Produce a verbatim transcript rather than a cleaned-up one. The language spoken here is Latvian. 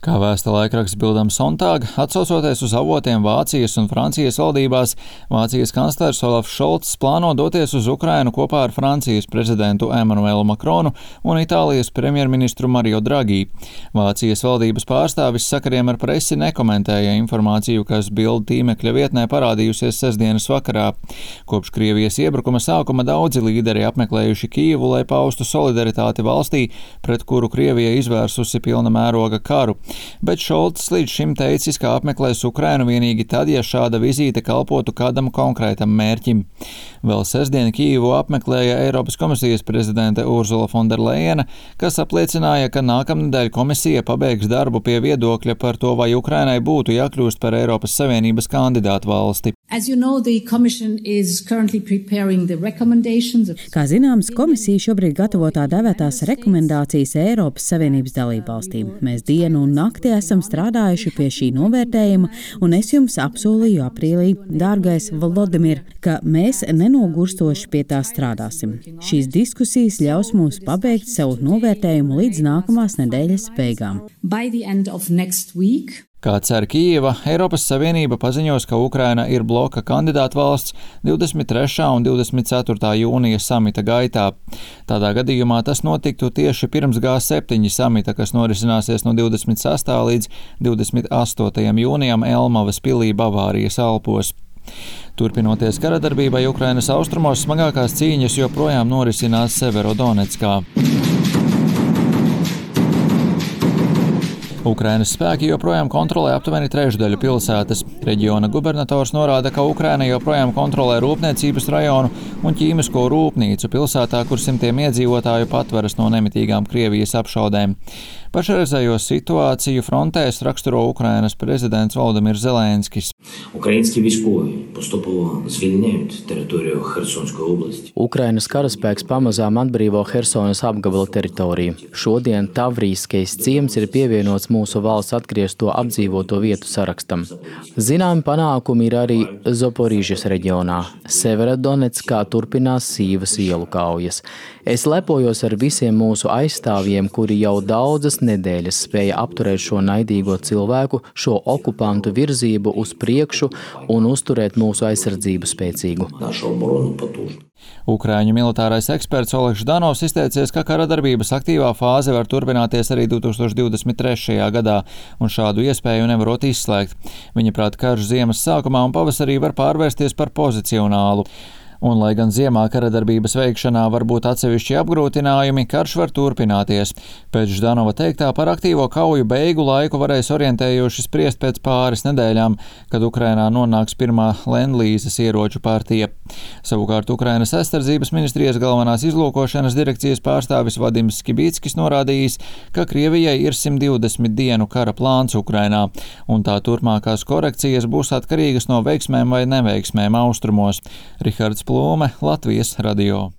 Kā vēsta laikraksts Bildam Sonntag, atsaucoties uz avotiem Vācijas un Francijas valdībās, Vācijas kanclers Olafs Šolts plāno doties uz Ukrainu kopā ar Francijas prezidentu Emanuelu Makronu un Itālijas premjerministru Mario Draghi. Vācijas valdības pārstāvis sakariem ar presi nekomentēja informāciju, kas Bild tīmekļa vietnē parādījusies sestdienas vakarā. Kopš Krievijas iebrukuma sākuma daudzi līderi apmeklējuši Kijevu, lai paustu solidaritāti valstī, pret kuru Krievija izvērsusi pilna mēroga karu. Bet Šolts līdz šim teicis, ka apmeklēs Ukrainu vienīgi tad, ja šāda vizīte kalpotu kādam konkrētam mērķim. Vēl sestdien Kijevu apmeklēja Eiropas komisijas prezidente Ursula von der Leyena, kas apliecināja, ka nākamnedēļ komisija pabeigs darbu pie viedokļa par to, vai Ukrainai būtu jākļūst par Eiropas Savienības kandidātu valsti. You know, Kā zināms, komisija šobrīd gatavo tā dēvētās rekomendācijas Eiropas Savienības dalībvalstīm. Mēs dienu un nakti esam strādājuši pie šī novērtējuma, un es jums apsolīju aprīlī, dārgais Volodimir, ka mēs nenogurstoši pie tā strādāsim. Šīs diskusijas ļaus mums pabeigt savu novērtējumu līdz nākamās nedēļas beigām. Kā cer Kijeva, Eiropas Savienība paziņos, ka Ukraina ir bloka kandidāta valsts divdesmit trešā un divdesmit ceturtā jūnija samita gaitā. Tādā gadījumā tas notiktu tieši pirms G septiņi samita, kas norisināsies no divdesmit sestā līdz divdesmit astotajam jūnijam Elmavas pilī Bavārijas Alpos. Turpinoties karadarbībai Ukrainas austrumos, smagākās cīņas joprojām norisinās Severodonetskā. Ukrainas spēki joprojām kontrolē aptuveni trešdaļu pilsētas. Reģiona gubernators norāda, ka Ukraina joprojām kontrolē rūpniecības rajonu un ķīmisko rūpnīcu pilsētā, kur simtiem iedzīvotāju patveras no nemitīgām Krievijas apšaudēm. Pašreizējo situāciju frontēs raksturo Ukrainas prezidents Volodimirs Zelenskis. Ukrainas karaspēks pamazām atbrīvo Hersonas apgabala teritoriju. Šodien Tavrīskais ciems ir pievienots mūsu valsts atgriezto apdzīvoto vietu sarakstam. Zināmi panākumi ir arī Zaporīžas reģionā. Severodonetskā turpinās sīvas ielu kaujas. Es lepojos ar visiem mūsu aizstāvjiem, kuri jau daudzas nedēļas spēja apturēt šo naidīgo cilvēku, šo okupantu virzību uz priekšu un uzturēt mūsu aizsardzību spēcīgu. Ukraiņu militārais eksperts Oļegs Ždanovs izteicies, ka karadarbības aktīvā fāze var turpināties arī divi tūkstoši divdesmit trešajā gadā, un šādu iespēju nevarot izslēgt. Viņa prāt, karš ziemas sākumā un pavasarī var pārvērsties par pozicionālu. Un, lai gan ziemā karadarbības veikšanā var būt atsevišķi apgrūtinājumi, karš var turpināties. Pēc Ždanova teiktā par aktīvo kauju beigu laiku varēs orientējoši spriest pēc pāris nedēļām, kad Ukrainā nonāks pirmā lendlīzes ieroču partija. Savukārt Ukrainas aizsardzības ministrijas galvenās izlūkošanas direkcijas pārstāvis Vadims Skibīckis norādījis, ka Krievijai ir simt divdesmit dienu kara plāns Ukrainā, un tā turpmākās korekcijas būs atkarīgas no veiksmēm vai neveiksmēm austrumos. Rihards Plūme, Latvijas radio.